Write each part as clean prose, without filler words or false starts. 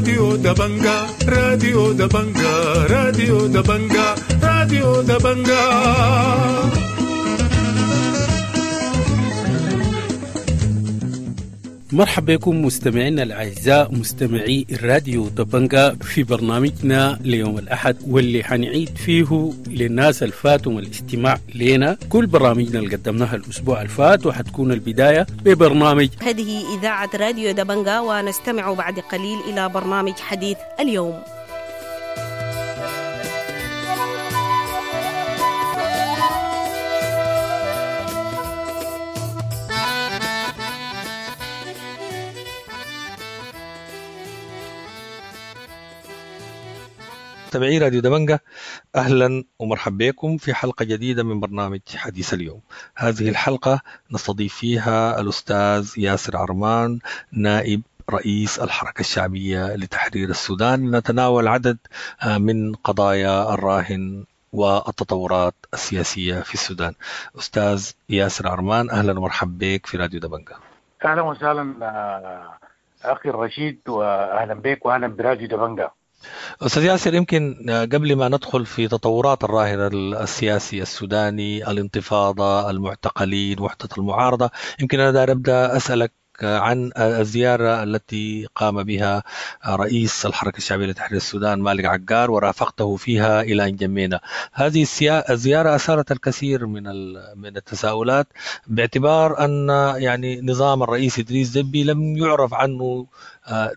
راديو دبنجا، راديو دبنجا، راديو دبنجا، راديو دبنجا. مرحبا بكم مستمعينا الأعزاء مستمعي الراديو دبنجا في برنامجنا ليوم الأحد، واللي حنعيد فيه للناس الفاتهم الاستماع لنا كل برامجنا اللي قدمناها الأسبوع الفات، وحتكون البداية ببرنامج هذه إذاعة راديو دبنجا، ونستمع بعد قليل إلى برنامج حديث اليوم. مستمعي راديو دبنجا، أهلا ومرحبا بكم في حلقة جديدة من برنامج حديث اليوم. هذه الحلقة نستضيف فيها الأستاذ ياسر عرمان، نائب رئيس الحركة الشعبية لتحرير السودان، نتناول عدد من قضايا الراهن والتطورات السياسية في السودان. أستاذ ياسر عرمان، أهلا ومرحبا بك في راديو دبنجا. أهلا وسهلا أخي الرشيد، وأهلا بك وأهلا براديو دبنجا. أستاذ ياسر، يمكن قبل ما ندخل في تطورات الراهن السياسي السوداني، الانتفاضة، المعتقلين، وحدة المعارضة، يمكن أنا داير أبدأ أسألك عن الزيارة التي قام بها رئيس الحركة الشعبية لتحرير السودان مالك عقار ورافقته فيها إلى انجمينا. هذه الزيارة أثارت الكثير من التساؤلات، باعتبار أن يعني نظام الرئيس إدريس دبي لم يعرف عنه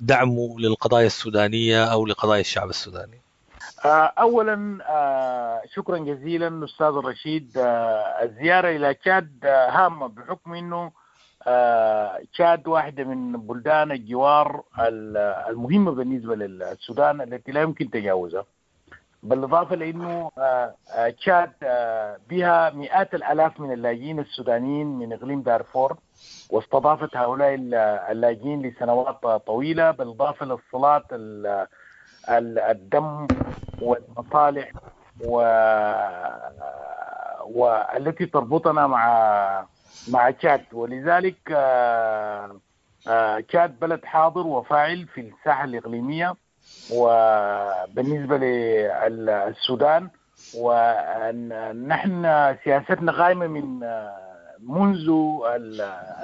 دعمه للقضايا السودانية أو لقضايا الشعب السوداني. أولا شكرا جزيلا أستاذ الرشيد. الزيارة إلى تشاد هامة بحكم أنه تشاد واحدة من بلدان الجوار المهمة بالنسبة للسودان التي لا يمكن تجاوزها، بالإضافة لأنه تشاد بها مئات الآلاف من اللاجئين السودانيين من إقليم دارفور، واستضافت هؤلاء اللاجئين لسنوات طويلة، بالإضافة للصلات الدم والمصالح والتي تربطنا مع تشاد. ولذلك تشاد بلد حاضر وفاعل في الساحة الإقليمية وبالنسبة للسودان، ونحن سياستنا قائمة من منذ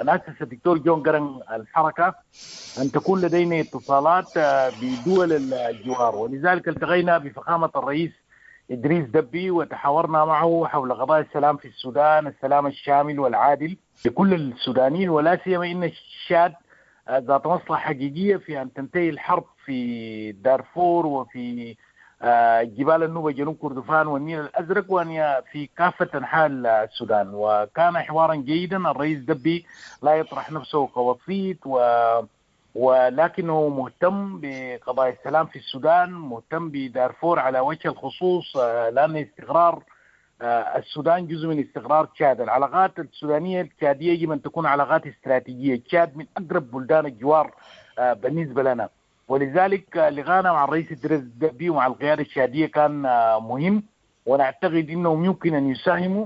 أن أسس الدكتور جون قرن الحركة أن تكون لدينا اتصالات بدول الجوار، ولذلك التقينا بفخامة الرئيس إدريس دبي وتحاورنا معه حول قضايا السلام في السودان، السلام الشامل والعادل لكل السودانيين، ولا سيما إن الشاد ذات مصلحة حقيقية في أن تنتهي الحرب في دارفور وفي جبال النوبة جنوب كردفان والنيل الأزرق وأن في كافة أنحاء السودان. وكان حوارا جيدا. الرئيس دبي لا يطرح نفسه كوسيط ولكنه مهتم بقضايا السلام في السودان، مهتم بدارفور على وجه الخصوص، لأن استقرار السودان جزء من استقرار تشاد. العلاقات السودانية التشادية يجب أن تكون علاقات استراتيجية. تشاد من أقرب بلدان الجوار بالنسبة لنا، ولذلك لقانا مع الرئيس إدريس دبي ومع القيادة التشادية كان مهم، ونعتقد أنهم يمكن أن يساهموا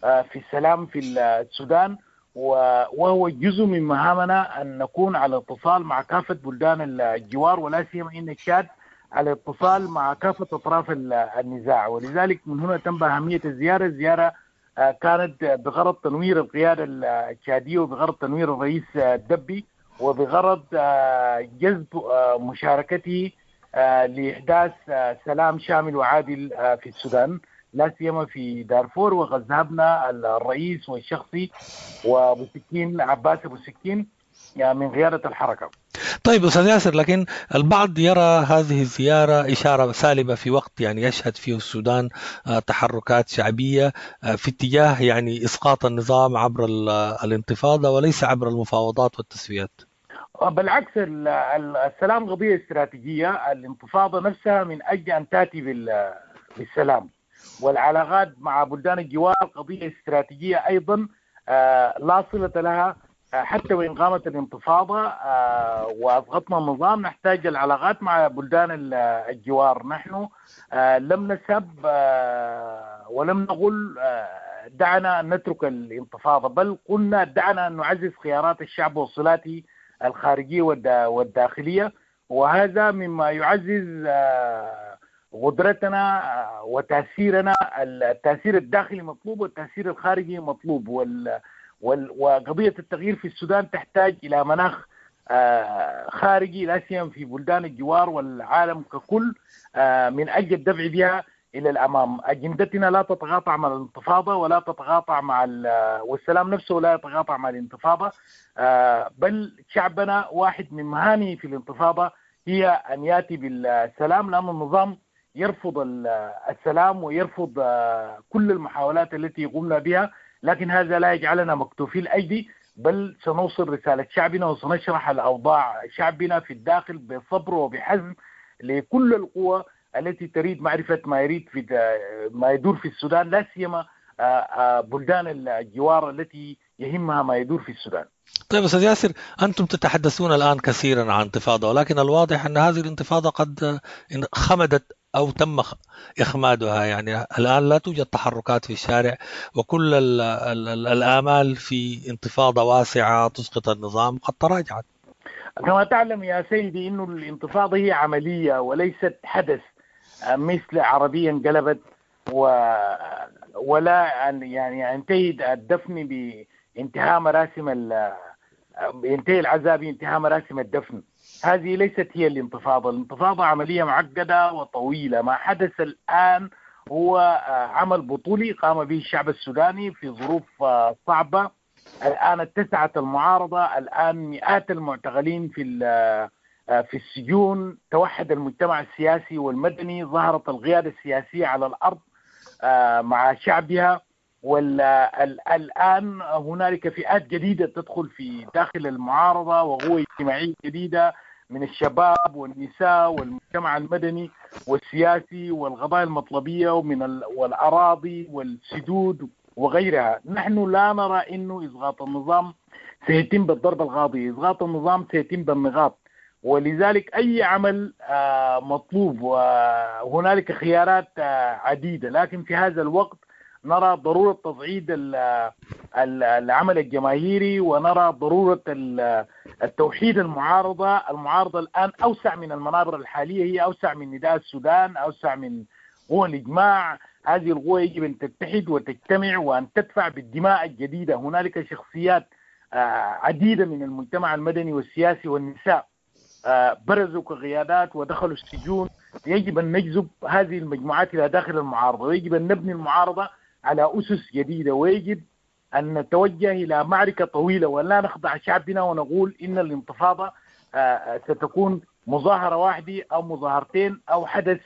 في السلام في السودان، وهو جزء من مهامنا أن نكون على اتصال مع كافة بلدان الجوار، ولا سيما أن تشاد على اتصال مع كافة أطراف النزاع. ولذلك من هنا تنبع أهمية الزيارة. الزيارة كانت بغرض تنوير القيادة التشادية وبغرض تنوير الرئيس دبي وبغرض جذب مشاركته لإحداث سلام شامل وعادل في السودان، لا سيما في دارفور. وقد ذهبنا الرئيس والشخصي وابو سكين عباس ابو سكين من قيادة الحركة. طيب أستاذ ياسر، لكن البعض يرى هذه الزيارة إشارة سالبة في وقت يعني يشهد فيه السودان تحركات شعبية في اتجاه يعني إسقاط النظام عبر الانتفاضة وليس عبر المفاوضات والتسويات. بالعكس، السلام قضية استراتيجية. الانتفاضة نفسها من أجل أن تأتي بالسلام، والعلاقات مع بلدان الجوار قضية استراتيجية أيضا لا صلة لها. حتى وإن قامت الانتفاضة وأضغطنا النظام نحتاج العلاقات مع بلدان الجوار. نحن لم نسب ولم نقل دعنا أن نترك الانتفاضة، بل قلنا دعنا أن نعزز خيارات الشعب وصلاته الخارجية والداخلية، وهذا مما يعزز قدرتنا وتاثيرنا. التاثير الداخلي مطلوب والتاثير الخارجي مطلوب، وقضية التغيير في السودان تحتاج الى مناخ خارجي، لا سيما في بلدان الجوار والعالم ككل، من اجل الدفع بها الى الامام. اجندتنا لا تتقاطع مع الانتفاضة ولا تتقاطع مع والسلام نفسه لا يتقاطع مع الانتفاضة، بل شعبنا واحد من مهامه في الانتفاضة هي ان ياتي بالسلام، لان النظام يرفض السلام ويرفض كل المحاولات التي قمنا بها، لكن هذا لا يجعلنا مكتوفي الايدي، بل سنوصل رسالة شعبنا وسنشرح الاوضاع شعبنا في الداخل بصبر وبحزم لكل القوى التي تريد معرفة ما يريد في ما يدور في السودان، لا سيما بلدان الجوار التي يهمها ما يدور في السودان. طيب أستاذ ياسر، أنتم تتحدثون الآن كثيرا عن انتفاضة، ولكن الواضح أن هذه الانتفاضة قد خمدت أو تم إخمادها، يعني الآن لا توجد تحركات في الشارع، وكل الآمال في انتفاضة واسعة تسقط النظام قد تراجعت. كما تعلم يا سيدي أن الانتفاضة هي عملية وليست حدث، مثل عربية انقلبت ولا يعني ينتهي الدفن بانتهاء مراسم ينتهي العزاء بانتهاء مراسم الدفن. هذه ليست هي الانتفاضة. الانتفاضة عملية معقدة وطويلة. ما حدث الآن هو عمل بطولي قام به الشعب السوداني في ظروف صعبة. الآن اتسعت المعارضة، الآن مئات المعتقلين في السجون، توحد المجتمع السياسي والمدني، ظهرت القيادة السياسية على الأرض مع شعبها، والآن هنالك فئات جديدة تدخل في داخل المعارضة وقوة اجتماعية جديدة من الشباب والنساء والمجتمع المدني والسياسي والقضايا المطلبية ومن والأراضي والسدود وغيرها. نحن لا نرى أنه إسقاط النظام سيتم بالضربة القاضية، إسقاط النظام سيتم بالنقاط، ولذلك أي عمل مطلوب وهنالك خيارات عديدة، لكن في هذا الوقت نرى ضرورة تصعيد العمل الجماهيري، ونرى ضرورة التوحيد المعارضة. المعارضة الآن أوسع من المنابر الحالية، هي أوسع من نداء السودان، أوسع من قوى الإجماع. هذه القوى يجب أن تتحد وتجتمع وأن تدفع بالدماء الجديدة. هنالك شخصيات عديدة من المجتمع المدني والسياسي والنساء برزوا كقيادات ودخلوا السجون. يجب أن نجذب هذه المجموعات إلى داخل المعارضة، ويجب أن نبني المعارضة على أسس جديدة، ويجب أن نتوجه إلى معركة طويلة ولا نخضع شعبنا ونقول إن الانتفاضة ستكون مظاهرة واحدة أو مظاهرتين أو حدث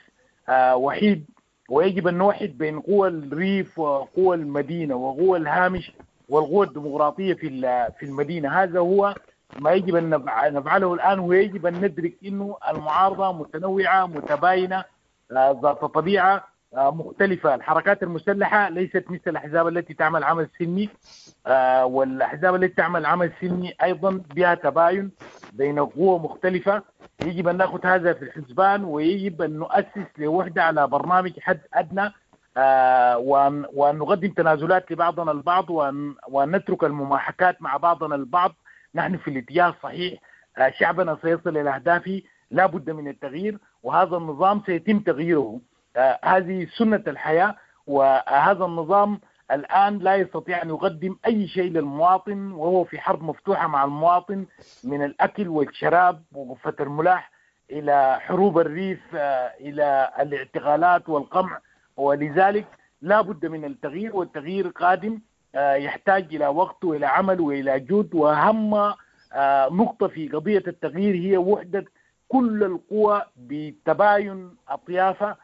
وحيد. ويجب أن نوحد بين قوى الريف وقوى المدينة وقوى الهامش والقوى الديمقراطية في المدينة. هذا هو ما يجب أن نفعله الآن، ويجب أن ندرك أنه المعارضة متنوعة متباينة ذات طبيعة مختلفة. الحركات المسلحة ليست مثل الأحزاب التي تعمل عمل سلمي، والأحزاب التي تعمل عمل سلمي أيضا بها تباين بين قوى مختلفة. يجب أن نأخذ هذا في الحسبان، ويجب أن نؤسس لوحدة على برنامج حد أدنى، وأن نقدم تنازلات لبعضنا البعض، وأن نترك المماحكات مع بعضنا البعض. نحن في الاتجاه الصحيح، شعبنا سيصل إلى أهدافه، لا بد من التغيير، وهذا النظام سيتم تغييره. هذه سنة الحياة، وهذا النظام الآن لا يستطيع أن يقدم أي شيء للمواطن، وهو في حرب مفتوحة مع المواطن من الأكل والشراب وغفة الملاح إلى حروب الريف إلى الاعتقالات والقمع. ولذلك لا بد من التغيير، والتغيير قادم، يحتاج إلى وقت وإلى عمل وإلى جهد. وأهم نقطة في قضية التغيير هي وحدة كل القوى بتباين أطيافها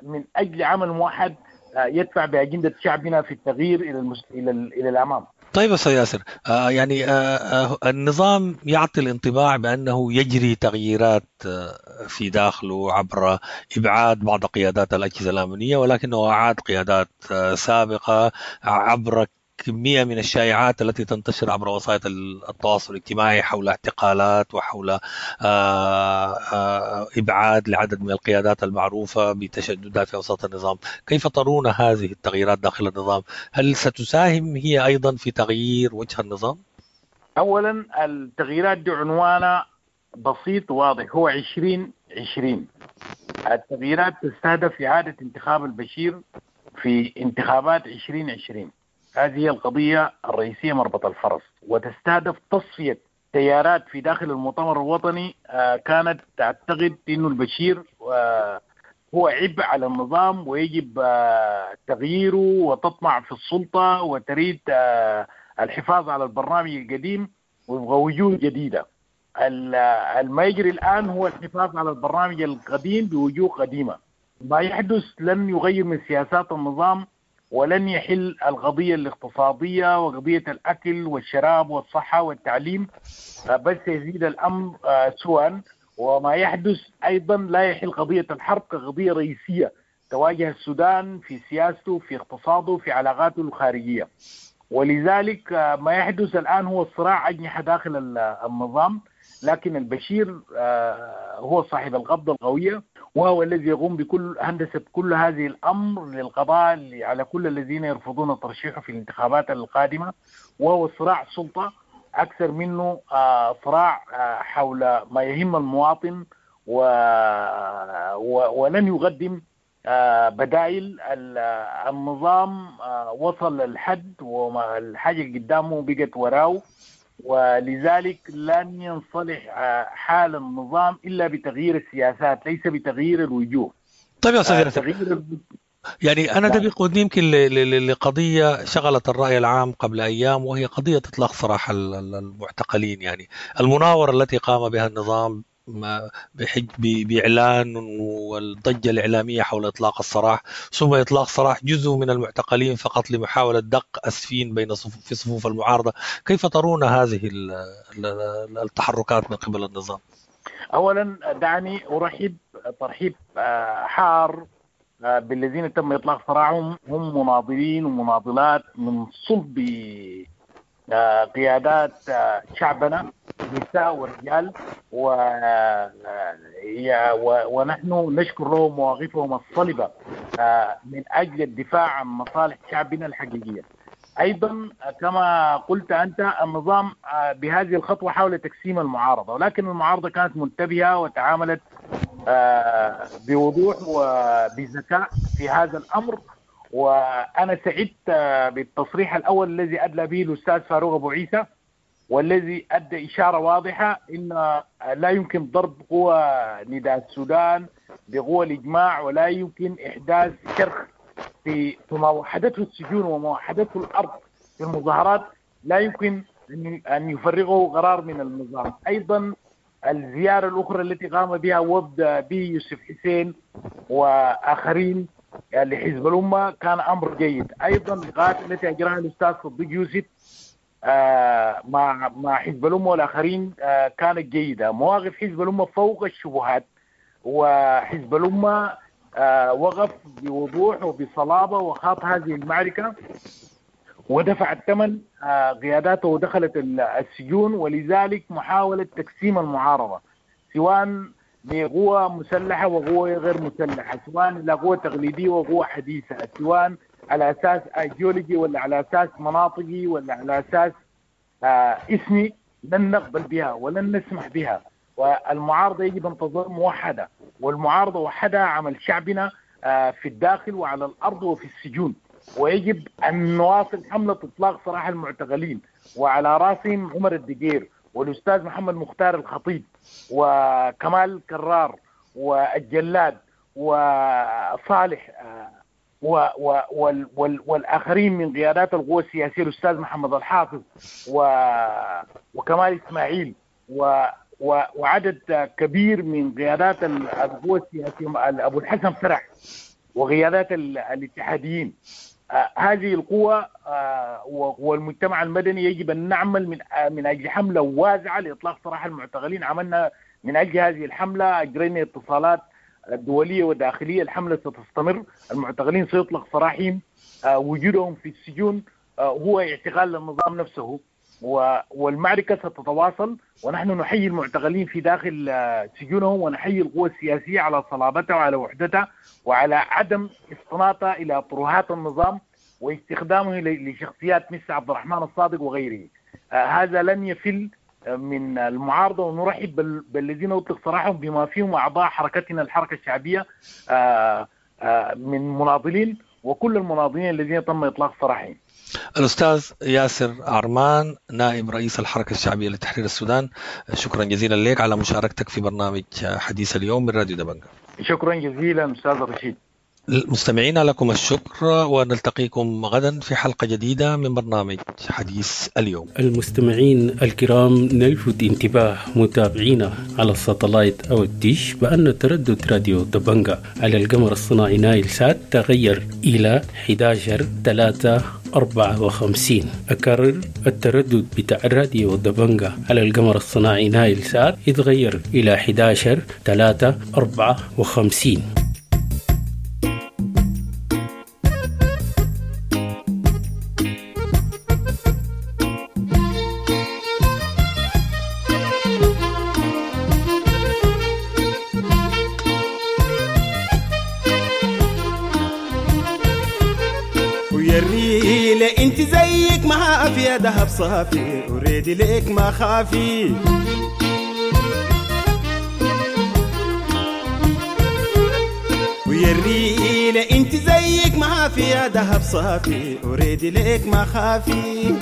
من أجل عمل موحد يدفع بأجندة شعبنا في التغيير إلى الأمام. طيب أستاذ ياسر، يعني النظام يعطي الانطباع بأنه يجري تغييرات في داخله عبر إبعاد بعض قيادات الأجهزة الأمنية، ولكنه أعاد قيادات سابقة عبر كمية من الشائعات التي تنتشر عبر وسائل التواصل الاجتماعي حول اعتقالات وحول إبعاد لعدد من القيادات المعروفة بتشددات في أوساط النظام. كيف ترون هذه التغييرات داخل النظام؟ هل ستساهم هي أيضا في تغيير وجه النظام؟ أولا التغييرات دي عنوانها بسيط وواضح، هو 2020. التغييرات تستهدف إعادة انتخاب البشير في انتخابات 2020. هذه هي القضية الرئيسية، مربط الفرس، وتستهدف تصفية تيارات في داخل المؤتمر الوطني كانت تعتقد أنه البشير هو عبء على النظام ويجب تغييره، وتطمع في السلطة وتريد الحفاظ على البرنامج القديم ويبغى وجوه جديدة. ما يجري الآن هو الحفاظ على البرنامج القديم بوجوه قديمة. ما يحدث لن يغير من سياسات النظام ولن يحل القضية الاقتصادية وقضية الأكل والشراب والصحة والتعليم، بس يزيد الأمر سوءا. وما يحدث أيضا لا يحل قضية الحرب كقضية رئيسية تواجه السودان في سياسته، في اقتصاده، في علاقاته الخارجية. ولذلك ما يحدث الآن هو الصراع أجنحة داخل النظام، لكن البشير هو صاحب القبضة القوية، وهو الذي يقوم بكل هندسة كل هذه الأمر للقضاء على كل الذين يرفضون ترشيحه في الانتخابات القادمة. وهو صراع سلطة أكثر منه صراع حول ما يهم المواطن، ولن يقدم بدائل. النظام وصل للحد والحاجة اللي قدامه بقت وراه، ولذلك لن ينصلح حال النظام إلا بتغيير السياسات ليس بتغيير الوجوه. طيب يا أستاذ، يعني أنا ده بيقودني يمكن لقضية شغلت الرأي العام قبل أيام، وهي قضية إطلاق سراح المعتقلين. يعني المناورة التي قام بها النظام بإعلان والضجة الإعلامية حول إطلاق السراح، ثم إطلاق سراح جزء من المعتقلين فقط لمحاولة دق أسفين بين في صفوف المعارضة. كيف ترون هذه التحركات من قبل النظام؟ أولا دعني أرحب ترحيب حار بالذين تم إطلاق سراحهم، هم مناضلين ومناضلات من صلب قيادات شعبنا، نساء ورجال، ونحن نشكر لهم مواقفهم الصلبة من أجل الدفاع عن مصالح شعبنا الحقيقية. أيضا كما قلت أنت، النظام بهذه الخطوة حاول تقسيم المعارضة، ولكن المعارضة كانت منتبهة وتعاملت بوضوح وبذكاء في هذا الأمر. وأنا سعدت بالتصريح الأول الذي أدلى به الأستاذ فاروق أبو عيسى، والذي أدى إشارة واضحة إن لا يمكن ضرب قوى نداء السودان بقوى الإجماع، ولا يمكن إحداث شرخ في ما وحدته السجون وما وحدته الأرض في المظاهرات، لا يمكن أن يفرغه قرار من النظام. أيضا الزيارة الأخرى التي قام بها وفد به يوسف حسين وآخرين لحزب الأمة كان أمر جيد. أيضا اللقاءات التي أجراها الأستاذ صديق يوسف مع حزب الأمة والآخرين كانت جيدة. مواقف حزب الأمة فوق الشبهات، وحزب الأمة وقف بوضوح وبصلابة وخاض هذه المعركة ودفع الثمن قياداته ودخلت السجون. ولذلك محاولة تقسيم المعارضة سواء بقوة مسلحة وقوة غير مسلحة، سواء إلى قوة تقليدية وقوة حديثة، سواء على أساس أيديولوجي ولا على أساس مناطقي ولا على أساس اسمي، لن نقبل بها ولن نسمح بها. والمعارضة يجب أن تظل موحدة، والمعارضة وحدها عمل شعبنا في الداخل وعلى الأرض وفي السجون. ويجب أن نواصل حملة إطلاق سراح المعتقلين، وعلى رأسهم عمر الدقير والأستاذ محمد مختار الخطيب وكمال كرار والجلاد وصالح والآخرين من قيادات القوى السياسية، الأستاذ محمد الحافظ وكمال إسماعيل وعدد كبير من قيادات القوى السياسية، أبو الحسن فرح وقيادات الاتحاديين. هذه القوى والمجتمع المدني يجب أن نعمل من أجل حملة واسعة لإطلاق سراح المعتقلين. عملنا من أجل هذه الحملة، أجرينا اتصالات دولية وداخلية، الحملة ستستمر، المعتقلين سيطلق سراحهم، وجودهم في السجون هو اعتقال للنظام نفسه، والمعركة ستتواصل. ونحن نحيي المعتقلين في داخل سجونهم، ونحيي القوى السياسية على صلابتها وعلى وحدتها وعلى عدم استناطها إلى طروحات النظام واستخدامه لشخصيات مثل عبد الرحمن الصادق وغيره. هذا لن يفل من المعارضة، ونرحب بالذين أطلق سراحهم بما فيهم أعضاء حركتنا الحركة الشعبية من مناضلين وكل المناضلين الذين تم إطلاق سراحهم. الأستاذ ياسر عرمان نائب رئيس الحركة الشعبية لتحرير السودان، شكرا جزيلا لك على مشاركتك في برنامج حديث اليوم من راديو دبنجة. شكرا جزيلا أستاذ رشيد. المستمعين لكم الشكر، ونلتقيكم غدا في حلقة جديدة من برنامج حديث اليوم. المستمعين الكرام، نلفت انتباه متابعينا على الساتلايت أو الديش بأن تردد راديو دبنجة على القمر الصناعي نايل سات تغير إلى 11/3/54. أكرر، التردد بتاع راديو دبنجة على القمر الصناعي نايل سات يتغير إلى 11/3/54. انت زيك ما في دهب صافي، وريدي ليك ما خافي. ويا الريلة انت زيك ما في دهب صافي، وريدي ليك ما خافي.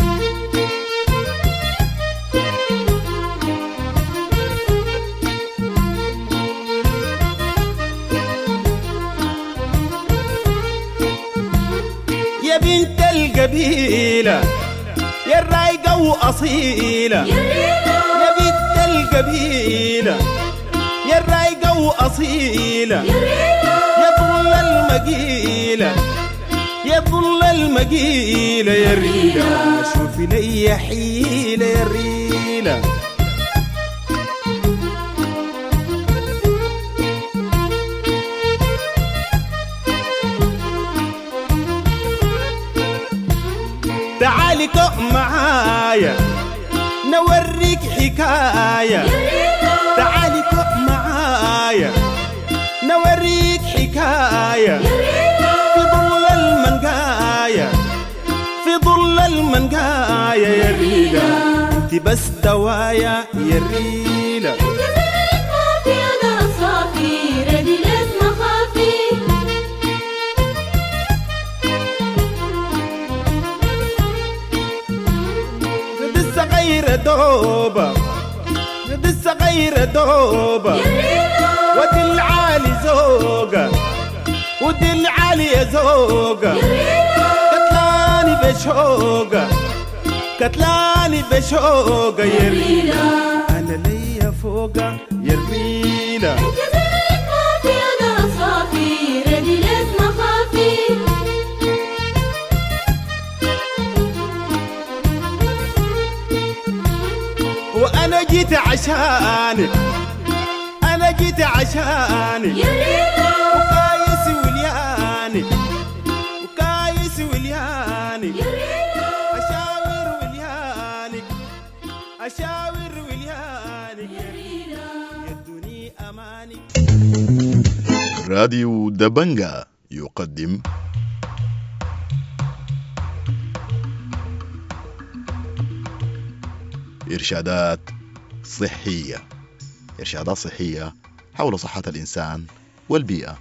يا بنت القبيلة يا الرايقة وأصيلة، يا بنت القبيلة يا الرايقة وأصيلة، يا ظل المقيلة يا ظل المقيلة، يا الريلة شوفي لي حيلة يا الريلة. تعالي كوم معايا نوريك حكاية، تعالي كوم معايا نوريك حكاية، في ظل المنقاية في ظل المنقاية، يا الريلة انت بس دوايا يا الريلة. دوبة لسه غير دوبة، ودي العالي زوقة ودي العالي زوقة، كتلاني بشوقة كتلاني بشوقة، يا ريلة أنا ليا فوقة يا ريلة. وأنا جيت عشانك أنا جيت عشانك وكايس وليانك وكايس وليانك، أشاور وليانك أشاور وليانك، يدوني أمانك. راديو دبنجة يقدم إرشادات صحية، إرشادات صحية حول صحة الإنسان والبيئة.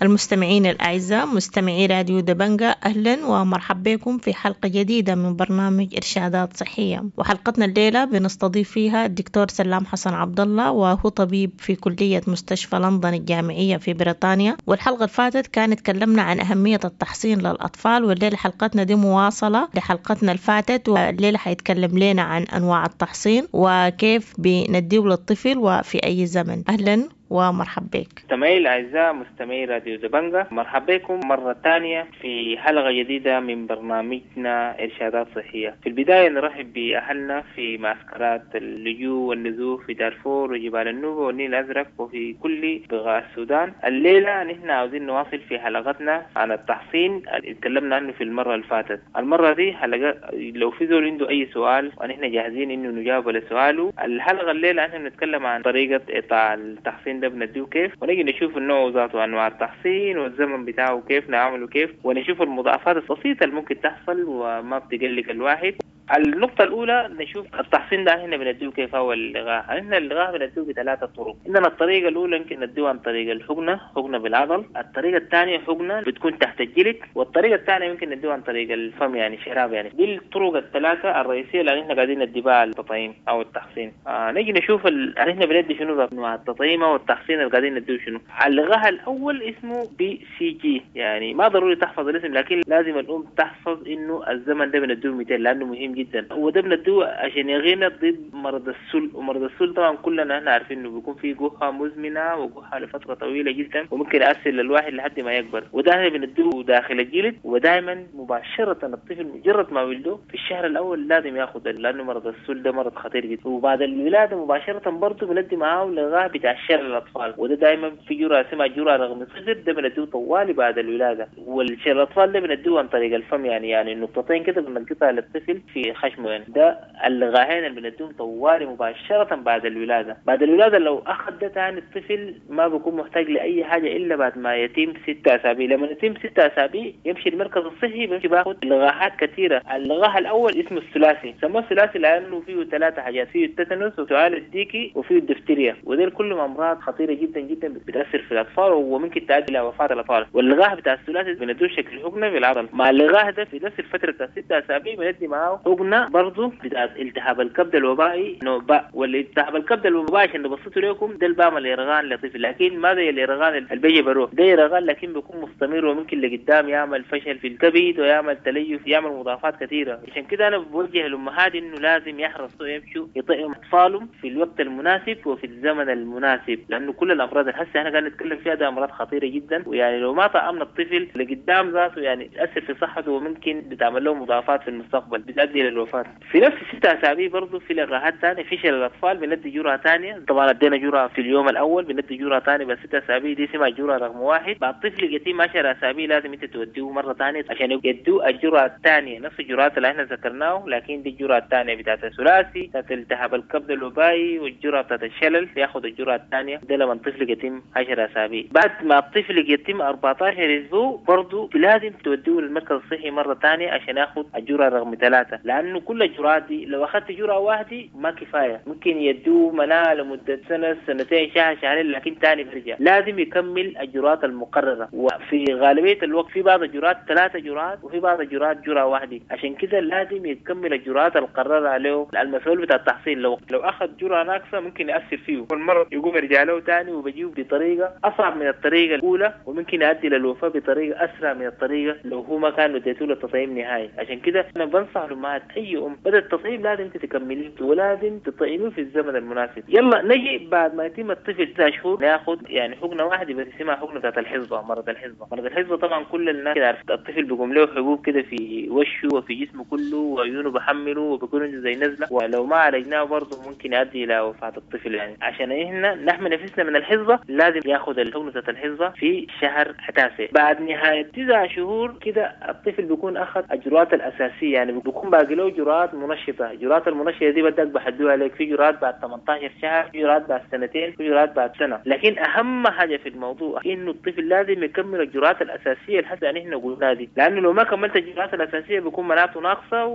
المستمعين الأعزاء مستمعي راديو دبنجة، أهلا ومرحبا بكم في حلقة جديدة من برنامج إرشادات صحية. وحلقتنا الليلة بنستضيف فيها الدكتور سلام حسن عبد الله، وهو طبيب في كلية مستشفى لندن الجامعية في بريطانيا. والحلقة الفاتت كانت تكلمنا عن أهمية التحصين للأطفال، والليلة حلقتنا دي مواصلة لحلقتنا الفاتت، والليلة حيتكلم لنا عن أنواع التحصين وكيف بنديه للطفل وفي أي زمن. أهلا ومرحبا بك. مستمعي الأعزاء مستمعي راديو دبنجة، مرحبا بكم مرة ثانية في حلقة جديدة من برنامجنا إرشادات صحية. في البداية نرحب بأهلنا في معسكرات اللجوء والنزوح في دارفور وجبال النوبة والنيل الأزرق وفي كل بقاع السودان. الليلة نحن عاوزين نواصل في حلقتنا عن التحصين اللي تكلمنا عنه في المرة اللي فاتت. المرة دي حلقة لو في زول عنده أي سؤال ونحن جاهزين إنه نجاوب على سؤاله. الحلقة الليلة نحن بنتكلم عن طريقة إعطاء التحصين ده بنديه كيف، ونجي نشوف النوع ذاته وانواع التحصين والزمن بتاعه كيف نعمله كيف، ونشوف المضاعفات البسيطه اللي ممكن تحصل وما بتقلق الواحد. النقطة الأولى نشوف التحصين ده احنا بنديه كيف هو اللقاح. احنا اللقاح بنديه بثلاثة طرق. عندنا الطريقة الأولى يمكن نديه عن طريق الحقنة، حقنة بالعضل. الطريقة الثانية حقنة بتكون تحت الجلد، والطريقة الثانية يمكن نديه عن طريق الفم يعني شراب يعني. دي الطرق الثلاثة الرئيسية اللي احنا قاعدين ندي بها التطعيم أو التحصين. نيجي نشوف احنا بندي شنو انواع التطعيم أو التحصين اللي قاعدين نديه شنو. اللقاح الأول اسمه BCG، يعني ما ضروري تحفظ الاسم لكن لازم الأم تحفظ إنه الزمن ده بنديه 200 لأنه مهم جدا. وده بنديه عشان يغينا ضد مرض السل، ومرض السل طبعا كلنا احنا عارفين انه بيكون فيه جحة مزمنة وجحة لفترة طويلة جدا وممكن يأثر للواحد لحد ما يكبر. وده احنا بنديه داخل الجلد، ودائما مباشرة الطفل مجرد ما ولده في الشهر الأول لازم ياخذ، لأنه مرض السل ده مرض خطير جدا. وبعد الولادة مباشرة برضه بندي معاه لقاح بتاع شلل الأطفال، وده دائما في جرعة اسمها جرعة رقم 0، ده بنديه طوالي بعد الولادة. والشلل الأطفال ده بنديه عن طريق الفم، يعني نقطتين كده بنلقطها للطفل في خشمه يعني. ده اللقاحين اللي بنديهم طوالي مباشرة بعد الولادة. بعد الولادة لو أخذ ده تاني الطفل ما بيكون محتاج لأي حاجة إلا بعد ما يتم 6 أسابيع. لما يتم 6 أسابيع يمشي المركز الصحي، بيمشي باخد لقاحات كثيرة. اللقاح الأول اسمه الثلاثي، سموه الثلاثي لأنه فيه 3 حاجات، فيه التتنس وسعال الديكي وفيه الدفتيريا، ودول كلهم أمراض خطيرة جدا جدا بتأثر في الأطفال وممكن تؤدي إلى وفاة الأطفال. واللقاح بتاع الثلاثي بندوه شكل حقنة في العضل. مع اللقاح ده في نفس الفترة بتاع 6 أسابيع بندي معاه حقنة برضه بتاع التهاب الكبد الوبائي نوع باء. والالتهاب الكبد الوبائي عشان نبسطه لكم ده اللي بعمل يرغان لطفل، لكن ما زي اليرغان اللي بيجي بروح، ده يرغان لكن بيكون مستمر وممكن لقدام يعمل فشل في الكبد ويعمل تليف، يعمل مضاعفات كثيرة. عشان كده أنا بوجه الأمهات إنه لازم يحرصوا يمشوا يطعموا أطفالهم في الوقت المناسب وفي الزمن المناسب، لأنه كل الأمراض اللي هسه احنا قاعدين نتكلم فيها ده أمراض خطيرة جدا، ويعني لو ما طعمنا الطفل لقدام ذاته يعني تأثر في صحته وممكن بتعمل له مضاعفات في المستقبل بتؤدي للوفاة. في نفس 6 أسابيع برضه في لقاحات ثانية في شلل الأطفال بندي جرعة ثانية، طبعا ادينا جرعة في اليوم الأول، بندي جرعة ثانية بس 6 أسابيع دي اسمها جرعة رقم 1. بعد الطفل يتم 10 أسابيع لازم أنت توديه مرة ثانية عشان يدوه الجرعة الثانية، نفس الجرعات اللي احنا ذكرناه لكن دي الجرعة الثانية بتاعت الثلاثي بتاعت التهاب الكبد الوبائي والجرعة بتاعت الشلل، ياخذ الجرعة الثانية ده لما الطفل يتم 10 أسابيع. بعد ما الطفل يتم 14 أسبوع برضه لازم توديه للمركز الصحي مرة ثانية عشان ياخذ الجرعة رقم 3، لأنه كل الجرعات دي لو أخذت جرعة واحدة ما كفاية، ممكن يدوه مناعة لمدة سنة سنتين شهر شهرين لكن تاني بيرجع. لازم يكمل الجرعات المقررة، وفي غالبية الوقت في بعض الجرعات 3 جرعات وفي بعض الجرعات جرعة واحدة، عشان كده لازم يكمل الجرعات المقررة عليه المسؤول بتاع التحصيل. لو أخذ جرعة ناقصة ممكن يأثر فيه والمرض يقوم يرجع له تاني وبيجيه بطريقة أصعب من الطريقة الأولى، وممكن يؤدي للوفاة بطريقة أسرع من الطريقة لو هو ما كان اديته له التطعيم نهائي. عشان كده أنا بنصح الأمهات أي أم بدأ التطعيم لازم تكمليه ولازم تطعميه في الزمن المناسب. يلا نجي بعد ما يتم الطفل 9 شهور ناخذ يعني حقنة واحدة بس اسمها حقنة بتاعت الحصبة، مرض الحصبة. مرض الحصبة طبعا كل الناس كده عارف، الطفل بيقوم له حبوب كده في وشه وفي جسمه كله وعيونه بحمله وبيكون عنده زي نزلة، ولو ما عالجناه برضه ممكن يؤدي إلى وفاة الطفل. يعني عشان احنا نحمي نفسنا من الحصبة لازم ياخذ الحقنة بتاعت الحصبة في شهر 9. بعد نهاية 9 شهور كده الطفل بيكون أخذ الجرعات الأساسية، يعني بيكون باقي له جرعات منشطة. الجرعات المنشطة دي بدك بحدوها عليك، في جرعات بعد 18 شهر، في جرعات بعد سنتين، في جرعات بعد سنة. لكن أهم حاجة في الموضوع إنه الطفل لازم يكمل الجرعات الأساسية اللي حتى نحن قلناها دي، لأنه لو ما كملت الجرعات الأساسية بيكون مناعته ناقصة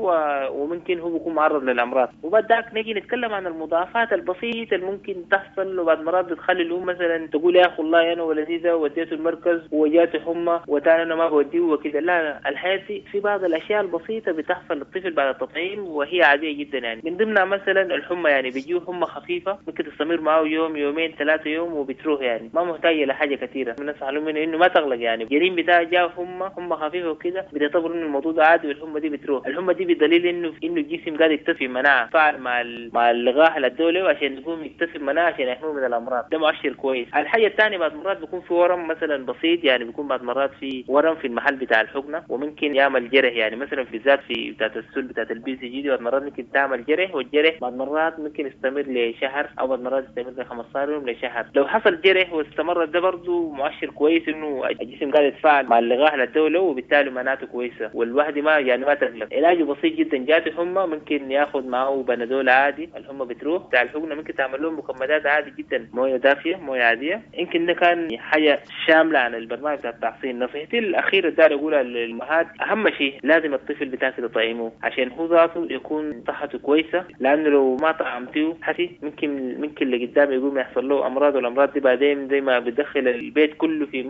وممكن هو بيكون معرض للأمراض. وبعد ذاك نيجي نتكلم عن المضاعفات البسيطة اللي ممكن تحصل، وبعد مرات بتخلي الأم مثلا تقول يا أخي والله أنا ولدي ده وديته المركز وجاته حمى وتاني أنا ما بوديه وكده. لا، الحياة في بعض الأشياء البسيطة بتحصل للطفل بعد التطعيم وهي عادية جدا. يعني من ضمنها مثلا الحمى، يعني بيجيه حمى خفيفة ممكن تستمر معه يوم يومين 3 يوم وبتروح، يعني ما محتاجة لحاجة كثيرة. بنصح لهم إنه ما تغلق، يعني الجريم بتاعه جاء حمى خفيفة وكده بتعتبر إنه الموضوع ده عادي والحمى دي بتروح. الحمى دي بدليل إنه الجسم قاعد يكتسب مناعة فعل مع اللقاح اللي ادوه عشان يقوم يكتسب مناعة عشان يحميه من الأمراض، ده مؤشر كويس. الحاجة الثانية بعد مرات بيكون في ورم مثلا بسيط، يعني بيكون بعد مرات في ورم في المحل بتاع الحقنة وممكن يعمل جرح، يعني مثلا في ذات في بتاعت السل بتاعت ال BCG دي بعد مرات ممكن تعمل جرح، والجرح بعد مرات ممكن يستمر لشهر او بعد مرات يستمر ل 15 يوم لشهر. لو حصل جرح واستمر ده برضه مؤشر كويس انه الجسم قاعد يتفاعل مع اللقاح للدولة وبالتالي مناعته كويسة والواحد ما يعني ما تقلق. علاجه بسيط جدا، جاته حمى ممكن ياخذ معه بنادول عادي الحمى بتروح. بتاع الحقنة ممكن تعمل لهم مكمدات عادي جدا، مويه دافيه مويه عادية. يمكن ده كان حاجة شاملة عن البرنامج بتاع التحصين. نصيحتي الاخيرة داير اقولها للامهات، اهم شيء لازم الطفل بتاعك تطعمه عشان عشان هو ذاته يكون صحته كويسة، لانه لو ما طعمتيه حسي ممكن لقدام يقوم يحصل له امراض، والامراض دي بعدين زي ما بتدخل البيت كله في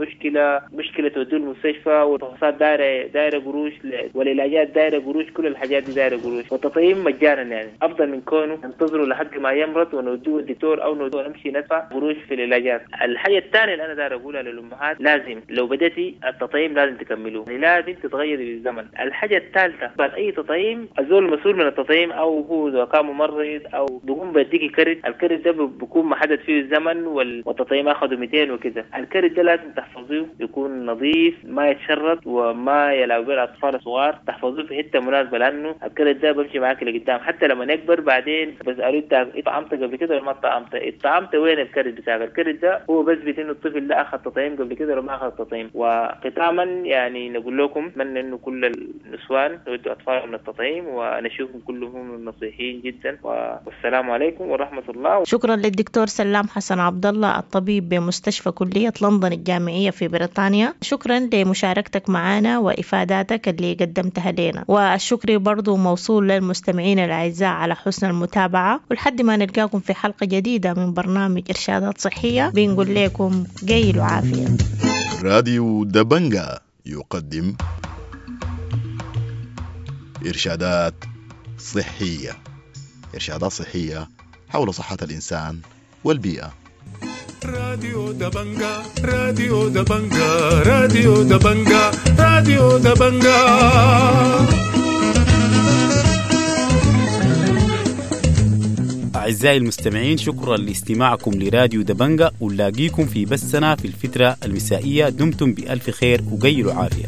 مشكلة توديه المستشفى، والفحوصات دايرة قروش، والعلاجات دايرة قروش، كل الحاجات دي دايرة قروش. والتطعيم مجانا يعني افضل من كونه ننتظره لحد ما يمرض ونوديه الدكتور او نوديه نمشي ندفع قروش في العلاجات. الحاجة الثانية اللي انا داير اقولها للامهات، لازم لو بدأتي التطعيم لازم تكملوه، يعني لازم تتغيري بالزمن. الحاجة الثالثة، بعد اي تطعيم الزول المسؤول من التطعيم او هو اذا كان ممرض او بيقوم بيديكي كرت، الكرت ده بيكون محدد فيه الزمن والتطعيم اخذه 200 وكده. الكرت ده لازم تحفظيه، يكون نظيف ما يتشرط وما يلعب به الاطفال الصغار، تحفظوه في حتة مناسبة، لانه الكرت ده بمشي معاك لقدام حتى لما يكبر. بعدين بسالوه انت طعمت قبل كده ولا ما طعمت؟ طعمت وين الكرت بتاعك؟ الكرت ده هو بثبت انه الطفل ده اخذ تطعيم قبل كده ولا ما اخذ تطعيم. وختاما يعني نقول لكم اتمنى انه كل النسوان يودوا اطفالهم للتطعيم، ونشوفهم كلهم نصيحين جدا. والسلام عليكم ورحمة الله. شكرا للدكتور سلام حسن عبد الله الطبيب بمستشفى كليه لندن الجامعية في بريطانيا، شكرا لمشاركتك معنا وافاداتك اللي قدمتها لنا، والشكر برضو موصول للمستمعين الاعزاء على حسن المتابعة، ولحد ما نلقاكم في حلقة جديدة من برنامج ارشادات صحية بنقول لكم قيل وعافيه. راديو دبنجا يقدم إرشادات صحية، إرشادات صحية حول صحة الإنسان والبيئة. راديو دبنجا، راديو دبنجا، راديو دبنجا، راديو دبنجا. أعزائي المستمعين، شكرا لاستماعكم لراديو دبنجا، ونلاقيكم في بثنا في الفترة المسائية. دمتم بألف خير وقيلوا عافية.